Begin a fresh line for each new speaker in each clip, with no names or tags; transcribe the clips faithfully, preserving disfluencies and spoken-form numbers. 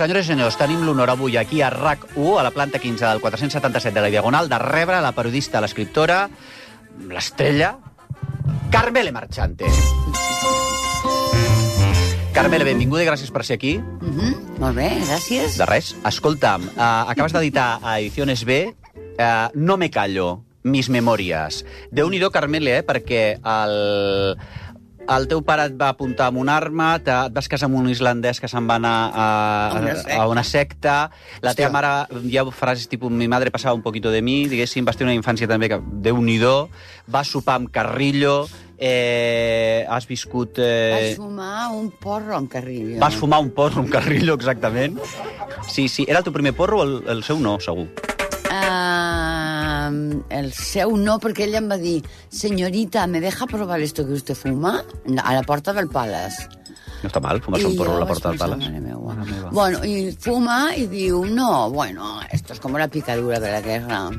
Senyores i senyors, tenim l'honor avui aquí a R A C u, a la planta quinze del quatre-cents setanta-set de la Diagonal, de rebre la periodista, l'escriptora, l'estrella, Carmele Marchante. Carmele, benvinguda i gràcies per ser aquí.
Mm -hmm. Molt bé, gràcies.
De res. Escolta'm, uh, acabes d'editar a Ediciones B uh, No me callo, mis memòries. Déu-n'hi-do, Carmele, eh, perquè el... El teu pare et va apuntar amb una arma, et vas casar amb un islandès que se'n va anar a, a, a una secta, la teva mare, hi ha frases tipus mi madre passava un poquito de mi, diguéssim, vas tenir una infància també que Déu-n'hi-do, vas sopar amb Carrillo, eh, has viscut... Eh...
Vas fumar un porro amb Carrillo.
Vas fumar un porro amb Carrillo, exactament. Sí, sí, era el teu primer porro o el, el seu no, segur?
Uh, el seu no, perquè ella em va dir señorita, ¿me deja probar esto que usted fuma? A la porta del Palace.
No està mal, fumar-se un porro a la porta del Palace.
Bueno, i fuma i diu, no, bueno, esto es como la picadura de la guerra.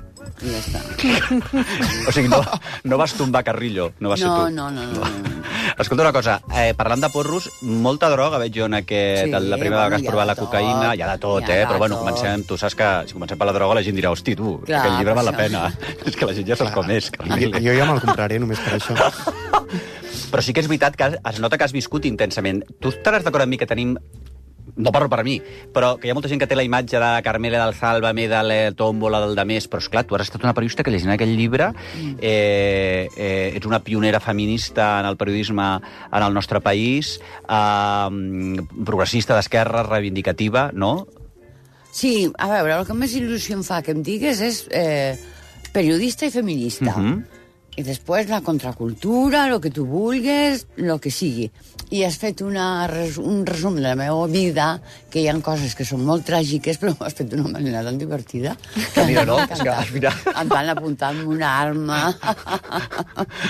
I ja està.
O sigui, no, no vas tombar Carrillo, no vas
no,
ser tu.
No, no, no, no, no.
Escolta una cosa, eh, parlant de porros, molta droga veig jo en aquest... Sí, la primera vegada que has provat la cocaïna, hi ha de tot, eh? Però bueno, comencem, tu saps que si comencem per la droga la gent dirà, hosti, tu, clar, aquest llibre val la pena. És que la gent ja se'ls coneix.
Jo ja me'l compraré només per això.
Però sí que és veritat que es nota que has viscut intensament. Tu estaràs d'acord amb mi que tenim... No parlo per a mi, però que hi ha molta gent que té la imatge de Carmele del Sálvame, de la Tómbola, del Demés, però esclar, tu has estat una periodista que llegint aquell llibre, eh, eh, ets una pionera feminista en el periodisme en el nostre país, eh, progressista d'esquerra, reivindicativa, no?
Sí, a veure, el que més il·lusió em fa que em digues és eh, periodista i feminista. Uh-huh. I després la contracultura, el que tu vulguis, el que sigui. I has fet una, un resum de la meva vida, que hi ha coses que són molt tràgiques, però ho has fet d'una manera tan divertida.
Que mira, no? És que, mira...
Em van apuntar amb una arma.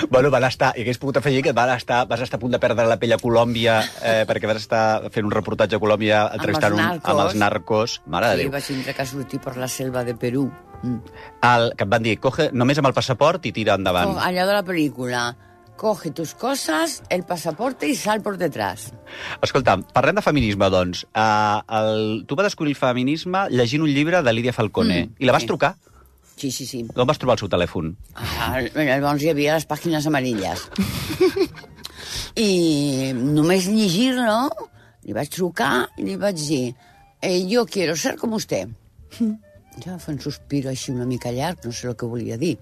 Bueno, van estar... I hagués pogut afegir que van estar, vas estar a punt de perdre la pell a Colòmbia eh, perquè vas estar fent un reportatge a Colòmbia entrevistant amb, un, amb els narcos. Mare de
sí,
Déu.
vaig tindre que sortir per la selva de Perú. Mm.
El, que et van dir, coge només amb el passaport i tira endavant.
Allò de la pel·lícula. Coge tus cosas, el pasaporte i sal por detrás.
Escolta, parlem de feminisme, doncs. Uh, el, tu vas descobrir el feminisme llegint un llibre de Lídia Falcone. Mm, I la vas sí. trucar?
Sí, sí, sí.
D'on vas trobar el seu telèfon?
Ah, llavors hi havia les pàgines amarilles. I només llegir-lo, li vaig trucar i li vaig dir eh, yo quiero ser como usted. Ja fa un sospiro així una mica llarg, no sé el que volia dir.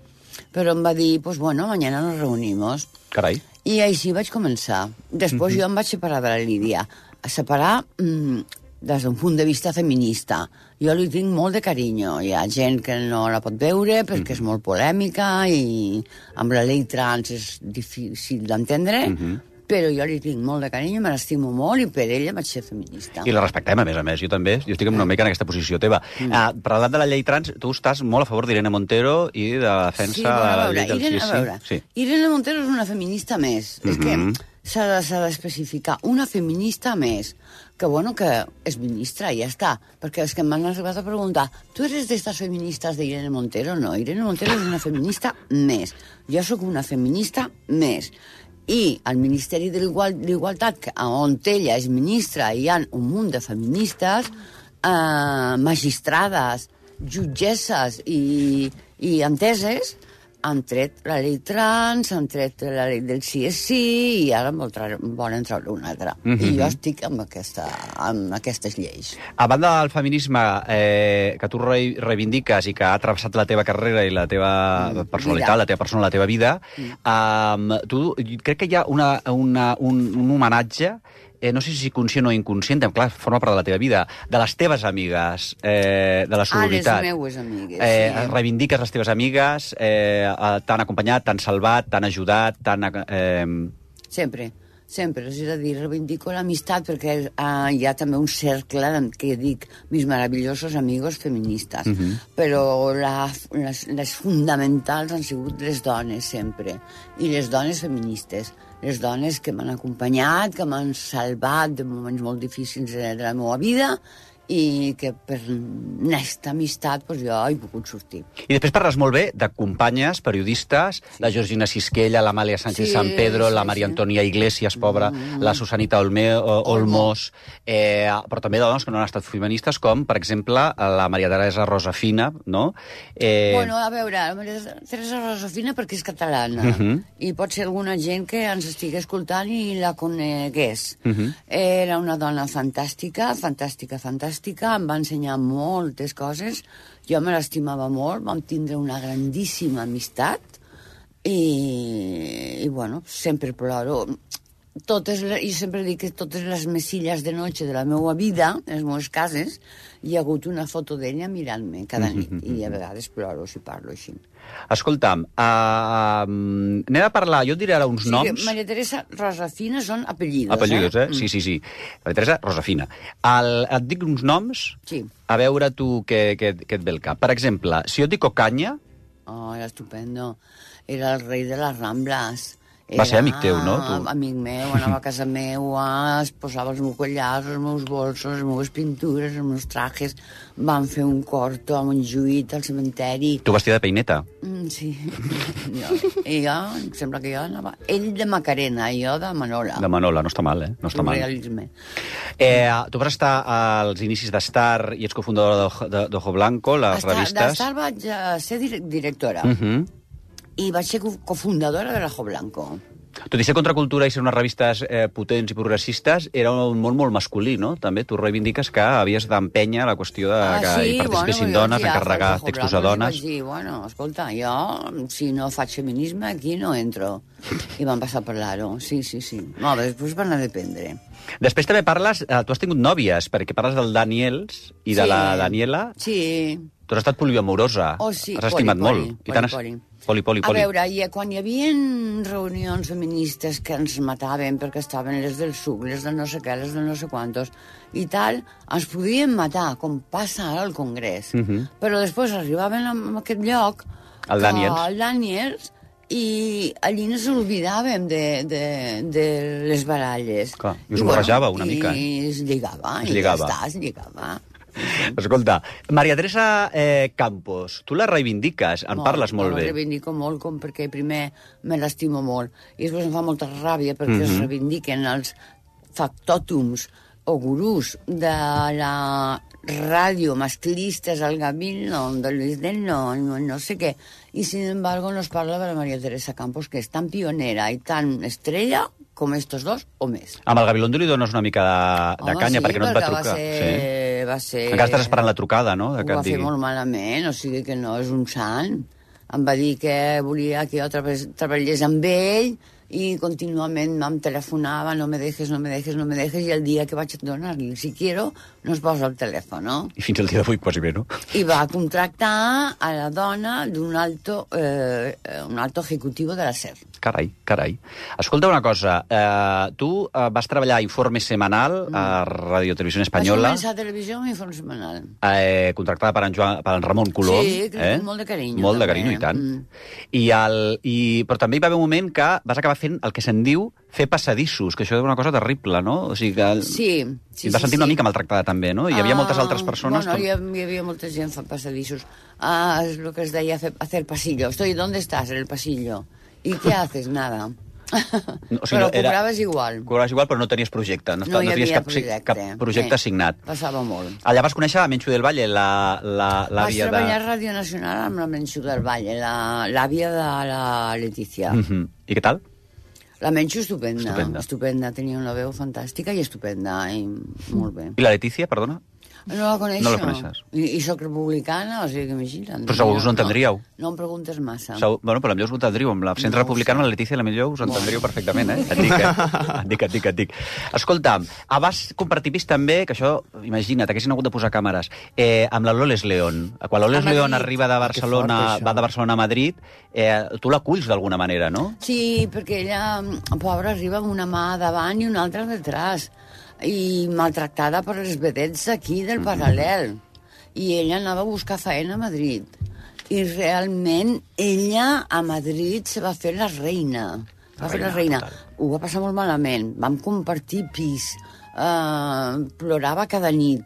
Però em va dir, pues bueno, mañana nos reunimos.
Carai.
I així vaig començar. Després mm-hmm. jo em vaig separar de la Lídia. A separar mm, des d'un punt de vista feminista. Jo li tinc molt de carinyo. Hi ha gent que no la pot veure perquè mm-hmm. és molt polèmica i amb la llei trans és difícil d'entendre, mm-hmm. però jo li tinc molt de carinyo, me l'estimo molt i per ella vaig ser feminista.
I la respectem, a més a més, jo també. Jo estic una mica en aquesta posició teva. Mm. Uh, parlant de la llei trans, tu estàs molt a favor d'Irene Montero i de la defensa
sí, bueno,
de la
veure,
llei del
Irene,
sí,
a veure,
sí.
Irene Montero és una feminista més. Mm-hmm. És que s'ha d'especificar. Una feminista més. Que, bueno, que és ministra i ja està. Perquè és que m'han arribat a preguntar tu eres d'estes feministes d'Irene Montero? No, Irene Montero és una feminista més. Jo sóc una feminista més. I al Ministeri de l'Igualtat, on ella és ministra, hi ha un munt de feministes, eh, magistrades, jutgesses i, i enteses, han tret la llei trans, han tret la llei del sí és sí, i ara volen treure una altra. Mm-hmm. I jo estic amb, aquesta, amb aquestes lleis.
A banda del feminisme eh, que tu re reivindiques i que ha travessat la teva carrera i la teva mm, personalitat, vida. la teva persona, la teva vida, mm. um, tu, crec que hi ha una, una, un, un homenatge Eh, no sé si conscient o inconscient, clar, forma part de la teva vida, de les teves amigues, eh, de la sororitat.
Ah, les meues amigues,
eh,
sí.
Reivindiques les teves amigues, eh, t'han acompanyat, t'han salvat, t'han ajudat, t'han... Eh...
Sempre, sempre. És a dir, reivindico l'amistat perquè eh, hi ha també un cercle que dic mis maravillosos amigos feministes. Uh-huh. Però la, les, les fonamentals han sigut les dones, sempre. I les dones feministes. Les dones que m'han acompanyat, que m'han salvat de moments molt difícils de, de la meva vida i que per aquesta amistat pues, jo he pogut sortir.
I després parles molt bé de companyes, periodistes, sí. La Georgina Sisquella, l'Amàlia Sánchez
Sí,
San Pedro,
sí,
la Maria
sí.
Antònia Iglesias, pobra, mm. la Susanita Olme, o, Olmos, eh, però també dones que no han estat feministes, com, per exemple, la Maria Teresa Rosafina, no? Eh...
Bueno, a veure, la Maria Teresa Rosafina perquè és catalana,
Uh -huh.
i pot ser alguna gent que ens estigui escoltant i la conegués.
Uh -huh.
Era una dona fantàstica, fantàstica, fantàstica, em va ensenyar moltes coses, jo me l'estimava molt, vam tindre una grandíssima amistat, i, i bueno, sempre ploro. Totes, jo sempre dic que totes les mesilles de noche de la meva vida, en les meves cases, hi ha hagut una foto d'ella mirant-me cada nit, i a vegades ploro si parlo així.
Escolta'm, uh, anem a parlar, jo et diré ara uns
Sí,
noms...
Maria Teresa Rosafina són apellidos,
Apellidos, eh?
eh?
Sí, sí, sí. Maria Teresa Rosafina. El, et dic uns noms,
Sí.
a veure tu què, què, què et ve al cap. Per exemple, si jo et dic Ocaña,
Oh, era estupendo. Era el rei de les Rambles.
Va ser amic teu, no, tu?
Amic meu, anava a casa meua, es posava els meus collars, els meus bolsos, les meves pintures, els meus trajes. Van fer un corto a Montjuïc, al cementeri.
tu vestida de peineta.
Mm, sí. jo, I jo, em sembla que jo anava... Ell de Macarena, jo de Manola.
De Manola, no està mal, eh? No està mal.
Realisme.
Eh, tu vas estar als inicis d'Star i ets cofundadora de- d'Ojo Blanco, les
Estar,
revistes.
d'Estar vaig a ser direc- directora.
Uh -huh.
I vaig ser co- cofundadora de l'Ojo Blanco.
Tot i ser contracultura i ser unes revistes eh, potents i progressistes, era un món molt masculí, no? També tu reivindiques que havies d'empènyer la qüestió de que
Ah,
hi participessin
bueno,
dones,
jo ja
encarregar
faig
textos
Ojo
a
Blanco
dones.
i vaig dir, bueno, escolta, jo, si no faig feminisme, aquí no entro. I van passar a parlar-ho, sí, sí, sí. No, després van a dependre.
Després també parles, eh, tu has tingut nòvies, perquè parles del Daniels i de
Sí.
la Daniela.
Sí.
Tu has estat poliamorosa.
Oh, sí,
Has estimat
poli,
molt.
poli,
I tant has-
poli, poli.
Poli, poli,
A
poli.
veure, i quan hi havia reunions feministes que ens mataven perquè estaven les del suc, les del no sé què, les del no sé quantos, i tal, ens podien matar, com passa ara al Congrés.
Uh -huh.
Però després arribaven a aquest lloc...
El
que-
Daniels.
El Daniels, i allí ens oblidàvem de, de, de les baralles.
Clar, i us barrejava una
i
mica, eh?
I es lligava,
Es
i
lligava.
ja està, es lligava.
Escolta, Maria Teresa eh, Campos, tu la reivindiques, en parles molt
jo
bé.
la reivindico molt, com perquè primer me l'estimo molt, i després em fa molta ràbia perquè
Mhm.
es reivindiquen els factòtums o gurús de la ràdio masclistes al Gavilno, de Luis del No, no, no sé què, i sin embargo nos parla de la Maria Teresa Campos, que és tan pionera i tan estrella com estos dos o més.
Amb el Gabilondo li dones una mica de, de
Home,
canya,
sí,
perquè no et va
perquè
trucar.
Va ser,
Sí.
va ser...
Encara estàs esperant la trucada, no? De
Ho
que et
va fer
digui.
molt malament, o sigui que no és un sant. Em va dir que volia que jo treballés, treballés amb ell i contínuament em telefonava, no me dejes, no me dejes, no me dejes, i el dia que vaig donar-li, si quiero, no es posa el telèfon, no?
I fins al dia d'avui quasi bé, no?
I va contractar a la dona d'un alto, eh, un alto ejecutivo de la SER.
Carai, carai. Escolta una cosa, eh, tu eh, vas treballar a Informe Semanal a Radio Televisió Espanyola,
Vaig començar a televisió amb informe setmanal.
eh, contractada per en, Joan, per en Ramon Colom.
Sí, que molt de carinyo,
Molt de
també.
carinyo, i tant.
Mm.
I el, i, però també hi va haver un moment que vas acabar fent el que se'n diu fer passadissos, que això és una cosa terrible, no? O sigui que...
Sí, sí,
I et vas
sí,
sentir
sí.
una mica maltractada també, no? Hi havia moltes altres persones...
Bueno,
com-
hi, ha- hi havia molta gent fent passadissos. Ah, es lo que es deia hacer, hacer pasillo. Estoy, ¿dónde estás? En el pasillo. ¿Y qué haces? Nada.
No, o sigui,
Però
no, era-
cobraves igual.
Cobraves igual, però no tenies projecte. No,
No hi
no tenies
havia
cap,
projecte.
cap projecte
Eh,
assignat.
Passava molt.
Allà vas conèixer la Menxu del Valle, la- la-
Vaig
l'àvia de...
treballar a Ràdio Nacional amb la Menxu del Valle, la- l'àvia de la Letícia.
Mhm. I què tal?
La Menxu estupenda,
Estupenda.
estupenda. Tenia una veu fantàstica i estupenda, i molt bé.
I la Letícia, perdona?
No la coneixo.
No la coneixes.
I, i soc republicana, o sigui que imagina't.
Però segur us ho entendríeu.
No, no em preguntes massa.
Segur, bueno, però potser us ho entendríeu. Amb l'absent
No ho
republicana,
sé.
la Letícia, la millor us entendríeu perfectament, eh? Et dic, eh? Et dic, et dic, et dic. Escolta'm, ah, vas compartir pis també, que això, imagina't, haguessin hagut de posar càmeres, eh, amb la Loles León. Quan Loles
A
León
Madrid.
arriba de Barcelona,
Que fort, això.
va de Barcelona a Madrid, eh, tu l'aculls d'alguna manera, no?
Sí, perquè ella, pobra, arriba amb una mà davant i una altra detrás, i maltractada per les vedets aquí del paral·lel. I ella anava a buscar feina a Madrid. I realment ella a Madrid se va fer la reina. Va fer la
reina,
reina.
total.
Ho va passar molt malament. Vam compartir pis. Uh, plorava cada nit.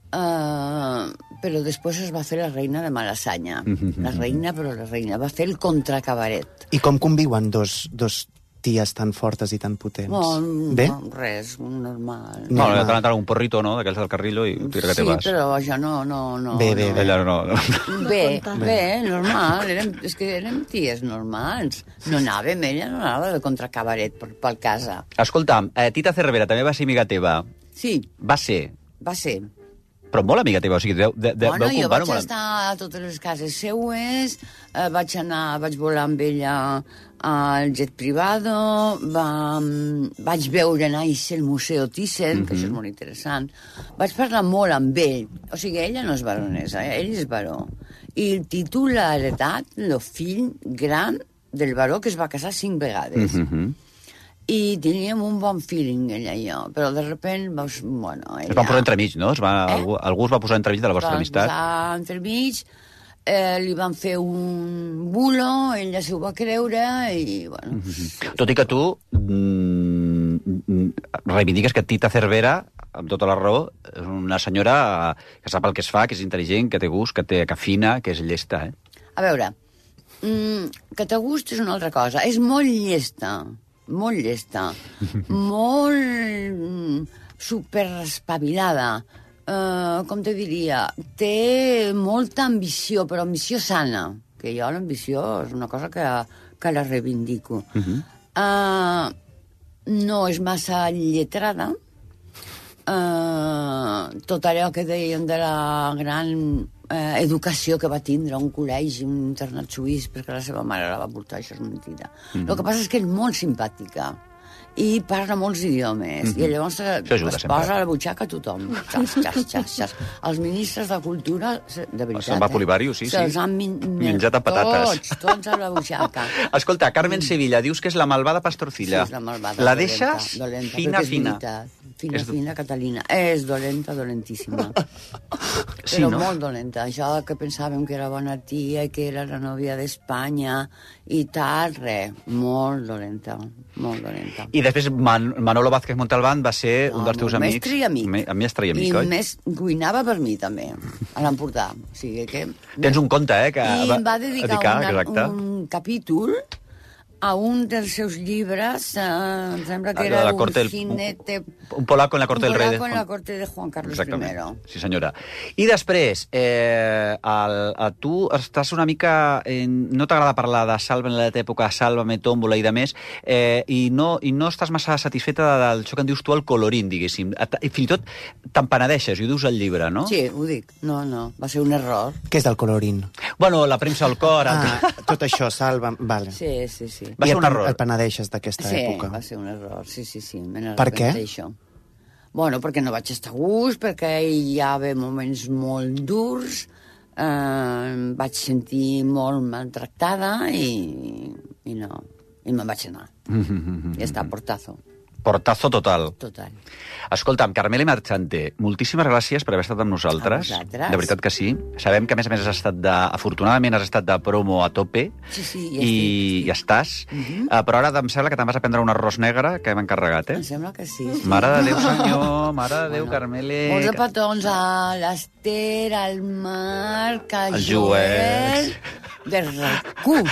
Uh, però després es va fer la reina de Malassanya. La reina, però la reina. Va fer el contracabaret.
I com conviuen dos, dos ties tan fortes i tan potents?
No,
Bé?
no, res, normal.
No, no, t'han un porrito, no?, d'aquells del Carrillo, i tira que te
Sí,
vas.
però això no... no, no
Bé, bé,
no.
bé.
Ella no, no.
Bé, bé, normal. Érem, és que érem ties normals. No anàvem, ella no anava de contracabaret per, per casa.
Escolta'm, eh, Tita Cervera també va ser amiga teva.
Sí,
Va ser,
va ser.
però molt amiga teva, o sigui, deu, de, de,
Bueno,
veu
jo
comptar
vaig
molt...
estar a totes les cases seues, eh, vaig anar, vaig volar amb ella al jet privado, va, vaig veure néixer el Museu Thyssen, que això és molt interessant. Vaig parlar molt amb ell. O sigui, ella no és baronesa, eh? Ell és baró. I el títol l'ha heretat el fill gran del baró que es va casar cinc vegades.
Uh -huh.
I teníem un bon feeling, ella i jo, però de repent, doncs, bueno... Ella...
Es van posar entremig, no? Es va,
Eh?
algú, algú es va posar entremig de la vostra
Van
amistat.
posar entremig, eh, li van fer un bulo, ella s'ho va creure i, bueno...
Tot i que tu mm, reivindiques que Tita Cervera, amb tota la raó, és una senyora que sap el que es fa, que és intel·ligent, que té gust, que té que afina, que és llesta, eh?
A veure, mm, que te gust és una altra cosa. És molt llesta, molt llesta, molt mm, superespavilada. Uh, com te diria? Té molta ambició, però ambició sana, que jo l'ambició és una cosa que, que la reivindico. Uh -huh. uh, no és massa lletrada. Uh, tot allò que deien de la gran eh, educació que va tindre un col·legi, un internat suís, perquè la seva mare la va portar, això és mentida. Mm -hmm. El que passa és que és molt simpàtica i parla molts idiomes, mm -hmm. i llavors
ajuda,
es
sempre.
posa a la butxaca a tothom. Xas, xas, xas, xas. Els ministres de Cultura, de veritat,
Se'n va Polivario, sí, sí.
Se'ls han min
Menjat a patates.
Tots, tots a la butxaca.
Escolta, Carmen Sevilla, dius que és la malvada pastorcilla.
Sí, és la malvada.
La
dolenta,
deixes
dolenta,
fina,
perquè és
fina.
veritat. Fina,
És-
fina, Catalina. És dolenta, dolentíssima.
Sí,
Però
no?
molt dolenta. Això que pensàvem que era bona tia i que era la nòvia d'Espanya i tal, res. Molt dolenta, molt dolenta.
I després Man Manolo Vázquez Montalbán va ser un
No,
dels teus
molt
amics.
mestre i amic.
Me mestre i amic,
I
oi?
més cuinava per mi, també, a l'Empordà. O sigui que...
Tens un conte, eh? Que
I em va dedicar,
dedicar,
una,
exacte.
un capítol a un dels seus llibres, eh, em sembla que
Ah,
era
la
un
corte del-
jinete...
Un polaco en la corte
un
del rei de
polaco en
Juan-
la corte de Juan Carlos
Exactament.
primero.
Sí, senyora. I després, eh, el, a tu estàs una mica... En, no t'agrada parlar de Salva en l'època Sálvame, Tómbola i de més, eh, i, no, i no estàs massa satisfeta del això que en dius tu, el colorín, diguéssim. Et- I fins i tot te'n penedeixes, i ho dius al llibre, no?
Sí, ho dic. No, no, va ser un error.
Què és del colorín?
Bueno, la premsa al cor...
Ah,
el...
tot això, salva... Vale.
Sí, sí, sí.
Va
I
ser
et
un
pen-
error.
Et penedeixes d'aquesta
Sí,
època.
va ser un error, sí, sí, sí.
Per què?
Això. Bueno, perquè no vaig estar a gust, perquè hi havia moments molt durs, eh, em vaig sentir molt maltractada i, i no, i me'n vaig anar. I està, portazo,
Portazo total.
total.
Escolta'm, Carmele Marchante, moltíssimes gràcies per haver estat amb nosaltres.
A vosaltres.
De veritat que sí. Sabem que, a més a més, has estat de... Afortunadament, has estat de promo a tope.
Sí, sí, ja
I ja estàs. Uh -huh. uh, però ara em sembla que te'n vas a prendre un arròs negre que hem encarregat, eh?
Em sembla que sí. sí.
Mare de Déu, senyor, mare de Déu, Carmele...
Molts de petons a l'Ester, al Marc, al
El
Joel,
Joel.
de RAC1.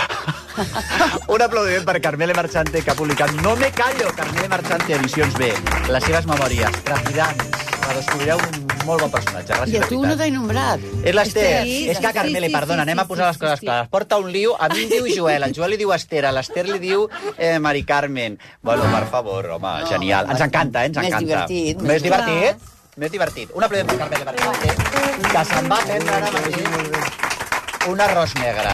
Un aplaudiment per Carmele Marchante, que ha publicat No me callo, Carmele Marchante, Edicions B. Les seves memòries, trepidants. La descobrireu un molt bon personatge. Gràcies,
I a
de
tu
veritat.
no t'he nombrat.
És l'Ester.
Sí,
És que,
sí,
Carmele,
sí,
perdona,
sí,
anem a
sí,
posar les
sí,
coses
sí.
clares. Porta un lío, a mi em diu Joel, el Joel li diu Esther, a l'Ester li diu eh, Mari Carmen. Bueno, per favor, home,
No,
genial. Ens
més-
encanta, eh? Ens
més
encanta.
divertit,
Més
més
divertit? Més divertit. Un aplaudiment per Carmele Marchante, que se'n va prendre ara mateix un arròs negre.